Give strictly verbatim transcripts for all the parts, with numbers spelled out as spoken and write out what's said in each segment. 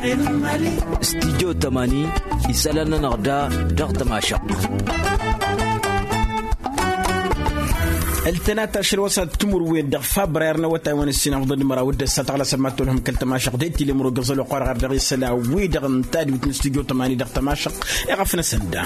Studyo tămani isălan-nănăɣ da dăɣ-tămašăɣt. Ăltănat ašăl wa s-ad timǝrwen dăɣ-fabrar n-awătay wa n-ǝssin afḍăn d-măraw d-ăssa tăɣlasăm ad-tolhăm kăl-tămašăɣt d-e-t-ilemro găẓăl oqq wa dăɣ-ar dăɣ-isălan wi-dăɣ n-tadwit n-studyo tămani dăɣ-tămašăɣt. Iɣăf n-asănda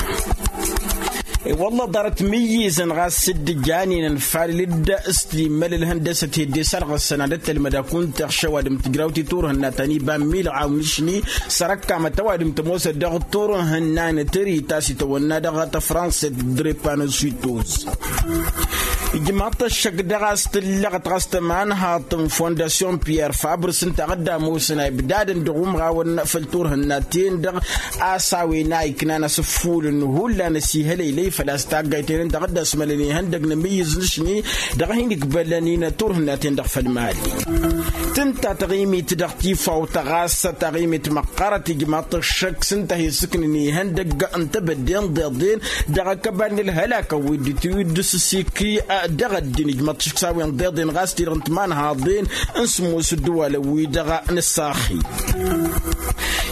i-wălla ḍarăt mǝyyǝzăn ɣas s-dd-ǝjanen ănfalǝl-dd s-timăl ălhăndăsăt hedde s-ad-ɣăssăn ad-ăttălmăd akunta ăɣšăw ad-ǝmtǝjrawt i-turhǝnna ta n-iba n-milɣa awnǝšni. Săr-ăkkamăt ăwadǝm tămoosăt dăɣ-turhǝnna n-tări ta s-itawănna dăɣ-tăfranset drepanosuitos. Ijmaḍ-t ăššăk dăɣ-a-s tǝllăɣăt ɣas tămanhaḍt n-fondasyon piyer fabr s-ǝnta a dd-ămoosăn a ibdadăn dăɣ-umɣawăn făll-turhǝnna-ten-dăɣ a-s a-wen a iknan asǝffulăn hullan ăsihălăylăy făl-a-s taggayten ǝnta a dd-ăsmălăn ihăndăg n-amǝyyǝz n-ašni dăɣ-hin-ikbălăn-in turhǝnna-ten-dăɣ făll-mali. Tǝnta taɣimit dăɣ-tifawt ɣas taɣimit măqqărăt ijmaḍ-t ăššăk s-ǝnta a hi-ǝssǝknăn ihăndăg n-tebădde n-iḍeḍen dăɣ-akăbal n-ălhălakăn wi dd-tiwǝddǝs s-iki. Dăɣ-ăddin ijmaḍ-t ăššăk s-a-wen d-iḍeḍen ɣas ti-dăɣ n-timanhaḍen n-sǝmmos ǝddǝwalăn-wi-dăɣ n-ăssaxi.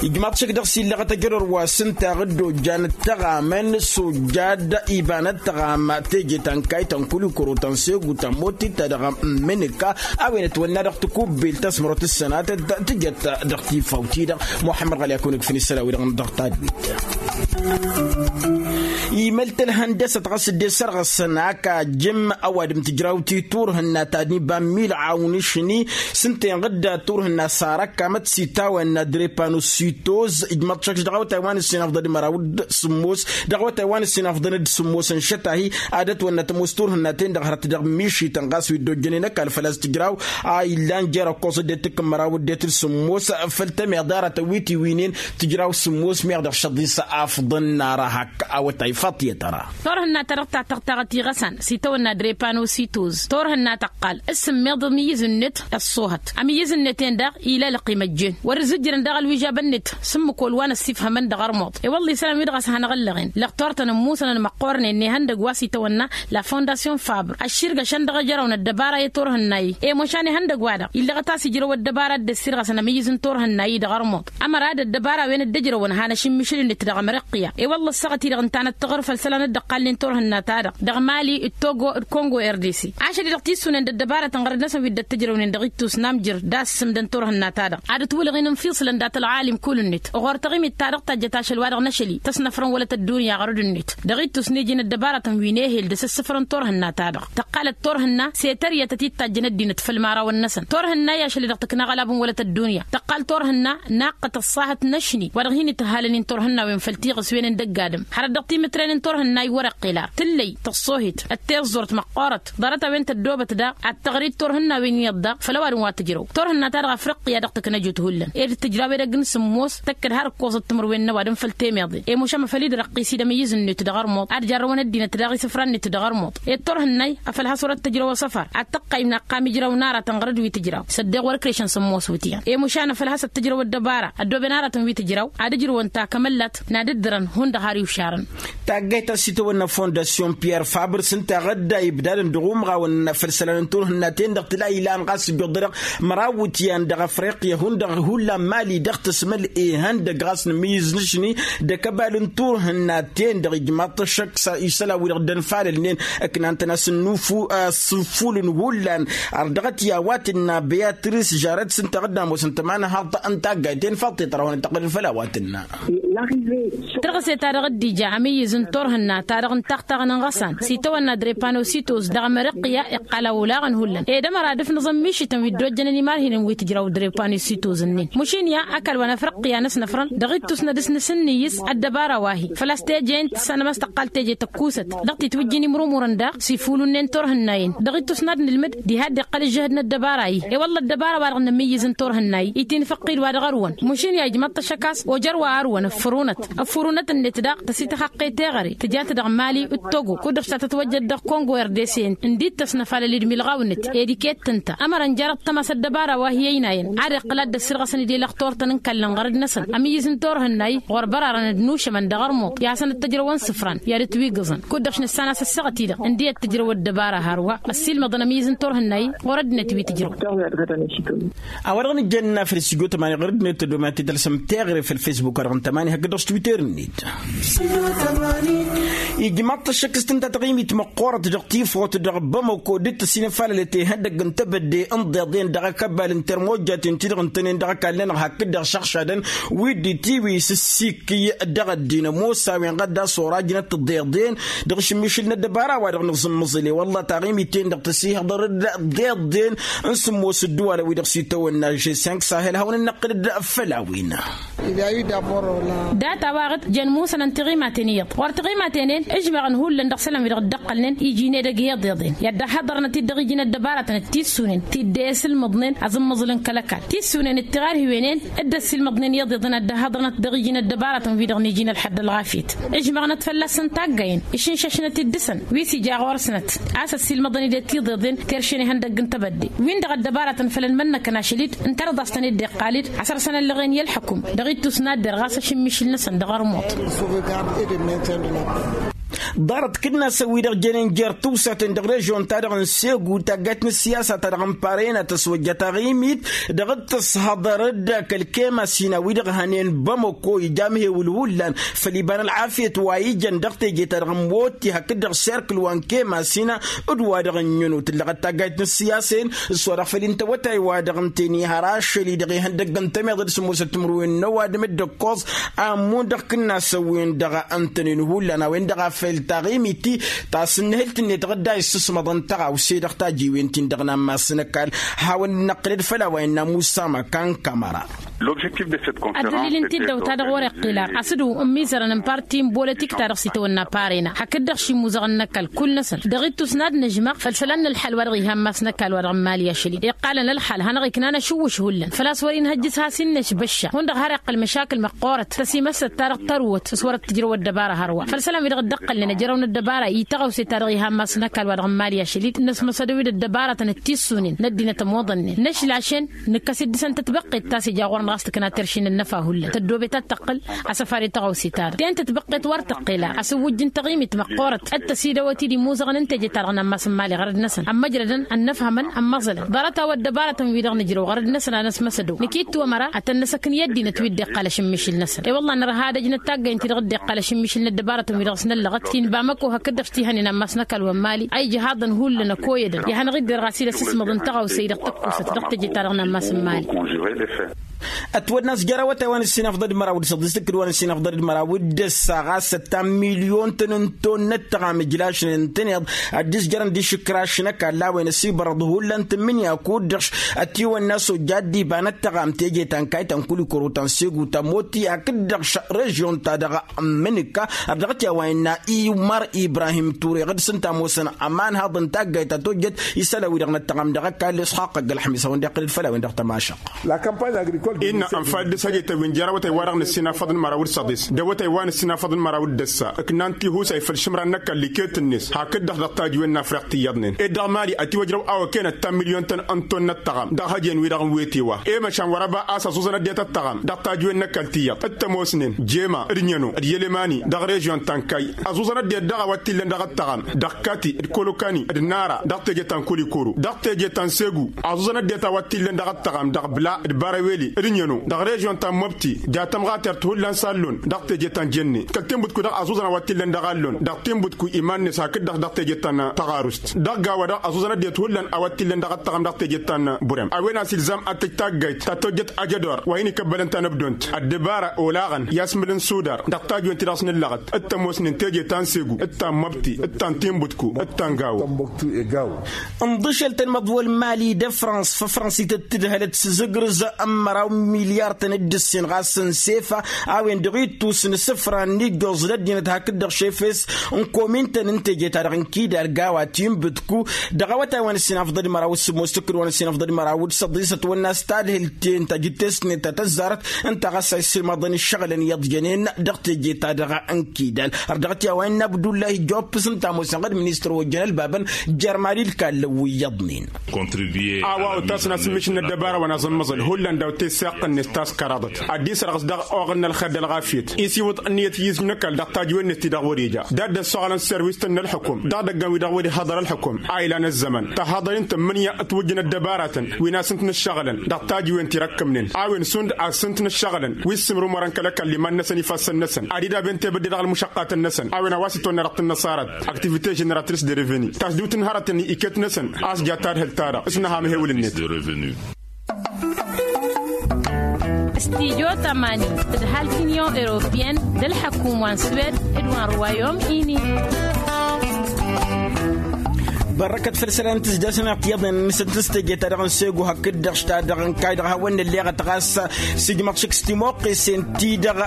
Ijmaḍ-t ăššăk dăɣ-s illăɣăt ajădor wa s-ǝnta a dd-ojjan ǝttăɣamăn s-ojjad iba n-ăttăɣam teje ta n-kayt ta n-kulikoro ta n-segu ta n-motit ta dăɣ-mǝnǝka a-wen ătwănna dăɣ-tikubbelt ta s-mărăwăt ǝssănatăt tǝjăt dăɣ-tifawt-i-dăɣ. Muḥămmăd ɣăli a kăwăn-ǝkfǝn isălan-wi-dăɣ dăɣ-tadwit. Imăl-t ălhăndăsăt ɣas dd-e-s ărɣǝsăn ăkajǝm ăwadǝm tǝjrawt i-turhǝnna ta n-iba n-milɣaw n-ašni s-ǝnta inɣǝdda turhǝnna sarăkkamăt s-itawănna drepanosuitoz. Ijmăḍ-t šăkš dăɣ-awătay wa n-ǝssin afḍăn d-măraw d-sǝmmos dăɣ-awătay wa n-ǝssin afḍăn d-sǝmmos n-išăt-ahi ad-ătwănna tămoos turhǝnna-ten-dăɣ hărăt dăɣ-mišităn ɣas wi dd-ojjănen ăkall făl-a-s tǝjraw a illan jer-ăkkoẓ ăddinăt tǝkkǝn măraw ăddinăt d-sǝmmos. Făll-temeḍe aratăn wi tiwǝynen tǝjraw sǝmmos meɣ dăɣ-šăḍis afḍăn n-ara hak awătay faḍt i-tăra. Turhǝnna-ta-dăɣ ta tăɣ-taɣăt iɣăsan s-itawănna drepanosuitoz turhǝnna tăqqal s-sǝmmeḍ amǝyyǝz-net ăṣṣoohăt amǝyyǝz-net-en daɣ ila ălqim ăjjeen wăr-ǝzzǝjjărăn daɣ ălwižab-net s-ǝmmǝk wăl wa n-ăssifhămăn dăɣ-armuḍ. I-wălla isălan-wi-dăɣ a-s hanăɣ-ăllăɣen lăɣ turtăn ămmusănăn măqqoornen n-ihăndăgg wa s-itawănna la fondasyon fabr ăšširgăšăn dăɣ-ejăraw n-ăddăbara i-turhǝnna-i. I-mušan ihăndăgg-wa-dăɣ illăɣăt a-s ijrăw ăddăbara a dd-ăssirɣăsăn amǝyyǝz n-turhǝnna-i dăɣ-armuḍ ămăra d-ăddăbara-wen dd-ăjrăwăn han ašǝmmišǝl-net dăɣ-amărăqqǝya. I-wălla ăssaɣăt-i-dăɣ ǝnta a năttăɣăr făll-isălan dd-ăqqalnen turhǝnna-ta-dăɣ dăɣ-mali d-togo d-kongo r d c. Ašăl-i-dăɣ tissǝwnen d-ăddăbarătăn ɣărăd-năsăn wi dd-ăttăjrăwnen dăɣ-ittus n-amjăr d-assǝmdăn turhǝnna-ta-dăɣ ad-ătwǝlăɣ-in ǝnfiṣǝlăn dat-ălɣalim kull-net ɣur-taɣimit-ta-dăɣ tajjăt ašăl-wa-dăɣ n-ašăl-i tăsnăfrăn wălăt ăddunya ɣărăd-net. Dăɣ-ittus n-iji n-ăddăbarătăn wi n-ehel d-asǝssǝfrăn turhǝnna-ta-dăɣ tăqqalăt turhǝnna s-e-tăryătăt i d-tajjăn ăddinăt făll-imărawăn-năsăn turhǝnna i-ašăl-i-dăɣ tǝkna aɣălab n-wălăt ăddunya tăqqal turhǝnna naqqăt ăṣṣahăt n-ašni wa dăɣ-hin-itǝhhalăn-in turhǝnna-wen făll-tiɣǝswen n-dăgg-adǝm. Hărăt dăɣ-timǝtre-nen turhǝnna iwărăqqel ar tǝllăy tăṣṣoohit d-tiẓẓurt măqqoorăt ḍarăt-a-wen tăddoobăt daɣ ad-tăɣrit turhǝnna-wen iyyăḍ daɣ făll-ăwadǝm wa tǝjrăw turhǝnna-ta-dăɣ afriqqiya dăɣ-tǝknăjut hullan ed tǝjraw edăgg n-sǝmmos tăkk-dd har ǝkkoẓăt timǝrwen n-ăwadǝm făll-temeḍe. I-mušam a făl-dd-răqqis-dd amǝyyǝz-net dăɣ-armuḍ ad-jarrăwăn ăddinăt daɣ isǝfra-net dăɣ-armuḍ. Ed turhǝnna-i a făl has-wăr-ăttăjrăw asăfar ad-tăqqayǝm naqqam ijraw n-aratăn ɣărăd wi tǝjraw s-ăddeɣ wăr-ǝkrešăn sǝmmos wǝtyan. I-mušan a făl has-ăttăjrăw ăddăbara ăddooben aratăn wi tǝjraw ad-ǝjrǝwăn takămăllat n-ad-ǝddǝrăn hundăɣ har iwšarăn. Taggayt ta s-itawănna fondasyon piyer fabr s-ǝnta a ɣǝdda ibdadăn dăɣ-umɣawăn făll-isălan n-turhǝnna-ten-dăɣ tǝla ilan ɣas ǝjjuḍ-dăɣ măraw wǝtyan dăɣ-afriqya hundăɣ hullan mali dăɣ-tǝsmăl ihăndăg ɣas n-amǝyyǝz n-ašni d-akăbal n-turhǝnna-ten-dăɣ ijmaḍ-t ăššăk isălan-wi-dăɣ dd-ănfalălnen ǝknan-tăn asǝnnuful asǝnfulăn hullan. Ar dăɣ-t i-a-wa tǝnna beyatris žarăt s-ǝnta a ɣǝdda ămoosăn tămanhaḍt n-taggayt-en faḍt-i tărahonăt tăqqălăl făll-a-wa tǝnna. Tărɣǝse-ta-dăɣ dd-ija amǝyyǝz n-turhǝnna-ta-dăɣ n-taɣtaɣ n-inɣăsan s-itawănna drepanosuitos dăɣ-amărăqqǝya iqqal a olaɣăn hullan ed ămăra ad-ǝfnǝẓăn mišităn wi dd-ojjănăn imarhinăn wi tǝjraw drepanosuitos-nin. Mušin ya ăkall wa n-afrăqqǝya n-ăsnăfrăn dăɣ-ittus n-ad-ǝsnǝsǝnnǝyǝs ăddăbara wa hi-făl-a-s teje-in tǝssanăm a-s tăqqal teje tăkkusăt dăɣ-titwǝjjǝn imrumurăn daɣ s-ifulun-nen turhǝnna-in. Dăɣ-ittus n-ad-nǝlmǝd diha dd-iqqăl ǝžžǝhǝd n-ăddăbara-i i-wălla ăddăbara-wa-dăɣ n-amǝyyǝz n-turhǝnna-i itinfăqqil wa dăɣ-arwăn. Mušin ya ijmăḍ-t ăššăk a-s ojăr wa arwăn. fărunăt. Ăffărunăt-net daɣ tăsităxăqqe teɣăre tǝjat dăɣ-mali d-togo kud-dăɣ s-ta tătwăjjăd dăɣ-kongo erdesen. Ǝndi-t tăsnăfalăl-dd milɣaw-net ed iket tǝnta ămărăn jarăt tămas ăddăbara wa hi-ăynayăn ad-iqqǝl ad-dd-ăssirɣăsăn-dd i-lăxtor-tăn n-kallăn ɣărăd-năsăn ămiyyǝz n-turhǝnnay ɣur-bărarăn d-nušămăn dăɣ-ărmuḍ i-ad-hasăn-ăttăjrăwăn isǝfran i-ad-ǝtwigǝẓăn. Kud-dăɣ š-nǝssan a-s ăssaɣăt-i-dăɣ ǝndi ăttăjrăw ăddăbara hărwa ăssiilmăḍăn ămiyyǝz n-turhǝnnay ɣur-ăddinăt wi tǝjrăw. A-wa-dăɣ nǝjjăn n-afrǝs ijotămani ɣur-ăddinăt tădomant i-talsăm teɣre făll-facebook-wa-dăɣ n-tămani hakd-dăɣ s-twitter-net. Ijmaḍ-t ăššăk s-tǝnta taɣimit măqqoorăt dăɣ-tifot dăɣ-bamăko dd-tăsinăfalălăt ihăndăgg n-tebădde n-iḍeḍen dăɣ-akăbbal n-termojjaten-ti-dăɣ ǝntănen dăɣ-ăkall-nănăɣ hakd-dăɣ šăɣšadăn wi dd-itiwi s-ǝssikǝy dăɣ-ăddin ămoos a-wen ɣad dasorajnăt tiḍeḍen dăɣ-ašǝmmišǝl n-ăddăbara wa-dăɣ nǝẓǝmmăẓǝl i-wălla taɣimit-en-dăɣ tăsihăḍăr-dd tiḍeḍen n-sǝmmos ăddăwalăn-wi-dăɣ s-itawănna žessenk sahel hawăn-ănnăqqǝl-dd făll-a-wen. Dat-a-wa-dăɣ jăn musănăn tiɣimaten iyyăḍ ɣur-tiɣimaten-en ǝžmaɣăn hullan dăɣ-isălan-wi-dăɣ dd-ăqqălnen iji n-edăgg i-iḍeḍen i-ad-dd-ăhhăḍărnăt-dd dăɣ-iji n-ăddăbaratăn d-tissunen ti dd-e ăsǝlmăḍnen aẓǝmmăẓǝl n-kăl-ăkall tissunen d-tiɣarhiwen-en dd-ăssilmăḍnen i-iḍeḍen ad-dd-ăhhăḍărnăt dăɣ-iji n-ăddăbaratăn-wi-dăɣ n-iji n-ălxădd ălɣafyăt. Ǝžmăɣnăt fălla-săn taggăyăn išǝnšašnăt-dd dăɣ-săn wi s-ija ɣur-snăt a-s ăssiilmăḍăn-dd i-tiḍeḍen terše n-ihăndăgg n-tebădde-win-dăɣ ăddăbaratăn făll-ănmănnăkăn ašăl-dd ǝnta dăɣ-daɣ s-tăn-dd-iqqal-dd asărsăn ăllăɣen i-ălḥăkum dăɣ-ittus n-ad-derɣ a-s ašǝmmišǝl-năsăn dăɣ-ărmuḍ. Ḍarăt kǝnnasăn-wi-dăɣ jănen jer-tiwsaten dăɣ-režyon-ta-dăɣ n-segu taggayt n-ǝssiyasa-ta-dăɣ n-parena tăswăjja taɣimit dăɣ-tăshăḍăr-dd kăl-kemasina-wi-dăɣ hănen bamăko ija amhewǝl hullan făll-iba n-ălɣafyăt wa ijăn dăɣ-teje-ta-dăɣ n-moti hakd-dăɣ serkǝl wa n-kemasina d-wa-dăɣ ǝnnyăno tǝllăɣăt taggayt n-ǝssiyasa-en s-wa-dăɣ făll-intăwătay-wa-dăɣ ǝnta-en ihăr ašăl-i-dăɣ ihăndăgg n-tămeḍăd s-ămoosăt timǝrwen n-ăwadǝm d-ǝkkoẓ ammǝn dăɣ-kǝnnasăn-wen-dăɣ ǝntănen hullan a-wen-dăɣ a făl taɣimit-i ta s-ǝnnǝhǝlt-net dăɣ-dd-a issǝsmăḍăn tăɣawse dăɣ-tajiwen-tin-dăɣ n-ammas n-ăkall. Hawăn-năqqǝlăd făll-a-wa innă musa măkan kămăra. Ăddălil n-tiddawt-ta-dăɣ wăr-iqqil ar asǝdǝw n-imizărăn n-parti n-bolotik-ta-dăɣ s-itawănna parena hakd-dăɣ šimuzăɣăn n-ăkall kull-năsăn dăɣ-ittus n-ad-nǝžmăɣ făll-isălan n-ălḥal wa dăɣ-iha n-mass n-ăkall wa dăɣ-n mali ašăl-i iqqalăn ălḥal hanăɣ-iknan ašǝwwǝš hullan făl-a-s wăr-inhăjj s-has-inneš băšša hundăɣ har iqqăl măšakǝl măqqoorăt tăsimăssăt-ta-dăɣ tărwăt s-wăr-ăttǝjrăw ăddăbara hărwa făll-isălan-wi-dăɣ dd-ăqqălnen ăjrăwăn ăddăbara i-tăɣawse-ta-dăɣ iha n-mass n-ăkall wa dăɣ-n mali ašăl-i d-inăsmăsădăw-dd ăddăbaratăn d-tissunen n-ăddinăt ămoḍănnen năšlašen nǝkkăs-dd dăɣ-săn tătbăqqet ta s-ija ɣur-năɣ a-s tǝkna terši n-ănnăfa hullan tăddoobet ad-tăqqǝl asăfar i-tăɣawse-ta-dăɣ ten tătbăqqet wăr tăqqel ar asǝwwǝjj n-taɣimit măqqoorăt d-tăsidăwăt-dd imuzăɣăn n-teje-ta-dăɣ n-ammas n-mali ɣărăd-năsăn ămmăjrădăn ănnăfhămăn ămmăẓălăn ḍarăt-a-wa ăddăbaratăn-wi-dăɣ nǝjrăw ɣărăd-năsăn ad-năsmăsădăw nǝkittu ămăra ad-tăn-năsăkn i-ăddinăt wi dd-iqqal ašǝmmišǝl-năsăn i-wălla nărha ad-ăjnăt taggăyăn-ti-dăɣ dd-iqqal ašǝmmišǝl n-ăddăbaratăn-wi-dăɣ s-năllăɣăt ti n-bamăko hakd-dăɣ s-tihănen ammas n-ăkall wa n-mali a ijhaḍăn hullan ăkoyădăn ihănăɣ-dd-irɣas-dd asǝsmăḍ n-tăɣawse-i-dăɣ tăkkusăt dăɣ-teje-ta-dăɣ n-ammas n-mali. Ătwănna a-s jer-awătay wa n-ǝssin afḍăl d-măraw d-săḍis d-kǝd wa n-ǝssin afḍăl d-măraw d-ǝssa ɣas ăttan milyon-tăn n-tonnăt tăɣam ǝjlašnen ǝntăneḍ ăddis jărăn d-išǝkraš n-ăkall a-wen ăsibărăḍ hullan tǝmmǝnǝya kud-dăɣ ătiwănna s-ojja dd-ibanăt tăɣam teje ta n-kayt ta n-kulikoro ta n-segu ta n-moti hakd-dăɣ režyon-ta-dăɣ n-mǝnǝkka. Ărdăɣăt i-a-wa innă imăr ibrahim ture ɣǝd-s ǝnta ămoosăn ămanhaḍ n-taggayt ta tojjăt isălan-wi-dăɣ n-ăttăɣam dăɣ-ăkall isxaqq ăgg-ălxămis a-wen-dăɣ tămašăɣt. Innă ănfal d-asăjetăn wi n-jer-awătay-wa-dăɣ n-ǝssin afăḍ n-măraw d-săḍis d-awătay wa n-ǝssin afăḍ n-măraw d-ǝssa ǝknan tihusay făll-išǝmran n-ăkall iket-net hakd-dăɣ dăɣ-tajǝwen n-afriq ti iyyăḍnen ed dăɣ-mali ătiwăjrăw a-wa ken ăttan milyon-tăn n-tonnăt tăɣam dăɣ-hăjen-wi-dăɣ n-wetewăɣ i-măšan wăr-ăba a-s ăẓuẓăn ăddinăt ăttăɣam dăɣ-tajǝwen n-ăkall ti iyyăḍ t-ămoosnen jema d-ǝnyăno d-yălemani dăɣ-režyon ta n-kay ăẓuẓăn ăddinăt daɣ a-wa t-illăn dăɣ-ăttăɣam dăɣ-kati d-kolokani d-nara dăɣ-teje ta n-kulikoro dăɣ-teje ta n-segu ăẓuẓăn ăddinăt a-wa t-illăn dăɣ-ăttăɣam dăɣ-bla d-baraweli d-ǝnyăno dăɣ-režyon ta n-mobti ja tămɣatert hullan s-allon dăɣ-teje ta n-jenne kăl-tinbǝtku daɣ ăẓuẓăn a-wa t-illăn dăɣ-allon dăɣ-tinbǝtku iman-net hakd-dăɣ dăɣ-teje ta n-tăɣarust dăɣ-gawa-dăɣ ăẓuẓăn ăddinăt hullan a-wa t-illăn dăɣ-ăttăɣam dăɣ-teje ta n-burem a-wen a-s ilzam ad-tǝj taggayt ta tojjăt ajădor wa hin-ikăbbălăn tanăbdont ăddăbara olaɣăn i-asmǝl n-sudar dăɣ-tajǝwen-ti-dăɣ s-nǝllăɣăt d-tămoosnen teje ta n-segu d-ta n-măbti d-ta n-tinbǝtku d-ta n-gawo. Ǝnḍǝšăl-tăn măḍwăl mali d-ăfrans făfrănsit d-tǝdhălăt s-zǝgrǝz ămmăra Milyar-tăn d-ǝssin ɣas n-sefa a-wen-dăɣ ittus n-isǝfra n-ijjoẓ d-ăddinăt hakd-dăɣ šefes n-komin-tăn n-teje-ta-dăɣ n-kidal gawa tinbǝtku dăɣ-awătay wa n-ǝssin afḍăd măraw d-sǝmmos tǝkkǝd wa n-ǝssin afḍăd măraw d-săḍisăt wănn-as tadhǝlt-en ta jǝttesnet ta tăzzarăt ǝnta ɣas a issǝlmaḍăn ǝššăɣǝlăn iyyăḍ jănen dăɣ-teje-ta-dăɣ n-kidal. Ărdăɣăt i-a-wa innă abdullahi jopps ǝnta ămoosăn ɣǝd ministăr ojăn ălbabăn jer-mali d-kallăn wi iyyăḍnen. A-wa otasăn asǝmmišǝn n-ăddăbara wa n-aẓǝmmăẓăl hullan daw-tessăɣ-net taskăraḍăt ad-dd-isărɣǝs dăɣ-oɣǝl n-ălxer d-ălɣafyăt isiwǝḍ ǝnniyăt i-izmǝnăkal dăɣ-tajǝwen-net-ti-dăɣ wăr-ija d-ad-dd-ăssoɣălăn serwis-tăn n-ălxǝkum dăɣ-idăggan wi-dăɣ wăr-ihăḍăr ălxǝkum a ilan ăzzăman tăhhăḍăr-in tǝmmǝnǝya ătwǝjjǝn ăddăbaratăn wi n-asǝnt n-ǝššăɣǝlăn dăɣ-tajǝwen ti răkkămnen a-wen šund asǝnt n-ǝššăɣǝlăn wi s-sǝmrǝm wăr-ănkălăkăl iman-năsăn ifassăn-năsăn ad-dd-aben tebădde dăɣ-ălmušăqqatăn-năsăn a-wen a-wa s-itwănna dăɣ-tǝnnăṣarăt. Activite ženeratrice de reveni tasdǝwt n-hărătăn iket-năsăn a-s ja tadhǝlt-ta-dăɣ s-nǝha amhewǝl-net. Stijo tămani tǝdhal t-inyon europiyăn d-ălḥăkum wa n-swed d-wa n-ruwayom ini. Bărrăkăt făll-isălan n-tǝzdasăn iyyăḍnen n-isăt n-teje-ta-dăɣ n-segu hakd-dăɣ š-ta-dăɣ n-kayy-dăɣ hawăn-nălleɣăt ɣas s-ijmăḍ šik s-timoqqesen-ti-dăɣ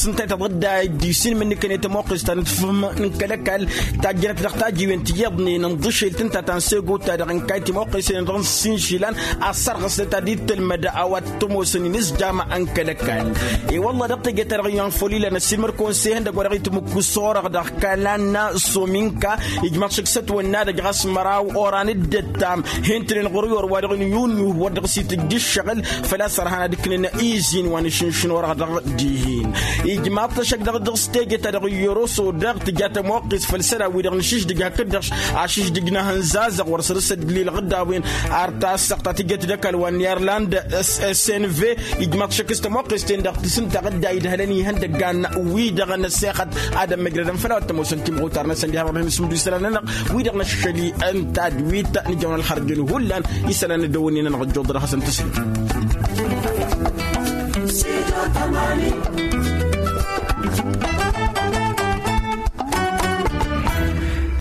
s-ǝnta i-tăḍădda dd-isin mǝnnǝkăn i-timoqqes ta n-tifǝm n-kăl-ăkall tajjănăt dăɣ-tajiwen ti iyyăḍnen n-iḍǝšel tǝnta ta n-segu ta dăɣ-inkay timoqqesen dăɣ-s inšilan a ăssărɣăsnăt ad-dd-tǝlmăd a-wa t-ămoosăn inǝzjam n-kăl-ăkall. I-wălla dăɣ-teje-ta-dăɣ iyyăn făw ilan ăssiilmăd kăwăn-s ehăndăgg wa dăɣ-itmǝkku s-orăɣ dăɣ-kalan s-ominka ijmaḍ šăkk s-ătwănna-dăgg ɣas măraw oran dd-ăttam hentănen ɣur-i orwa dăɣ-nǝyunyuh wăr dăɣ-s itǝjj ǝššăɣǝl. Făl-a-s ărhan ad-ǝknǝn izin wa n-išǝnšǝn orăɣ dăɣ-dihin ijmaḍ-t ăššăk dăɣ-dăɣ s-teje-ta-dăɣ iyyăr oso daɣ tǝja tămoqqes făll-isălan-wi-dăɣ nǝšǝždǝj hakd-dăɣ ašǝždǝj n-ahǝnzazăɣ wăr săr-s ădlil ɣǝddawen. Ar tasăɣt ta tǝjjăt d-ăkall wa n-irland snv ijmaḍ-t šăkk s-tămoqqes-ten-dăɣ tǝsǝntaɣ dd-a idhălăn ihăndăggan-wi-dăɣ n-ăssexăt ad-ămmăjrădăn făll-a-wa t-ămoosăn timɣutar-năsăn diha wăr dăɣ-hin-sǝmdu isălan-nănăɣ wi-dăɣ năššăl-i ǝnta d-wi-t nǝjăwăn ălxărjăn hullan. Isălan n-ăddăwănni-nănăɣ ăjjoḍăr ad-hasăn-tǝsǝlǝm.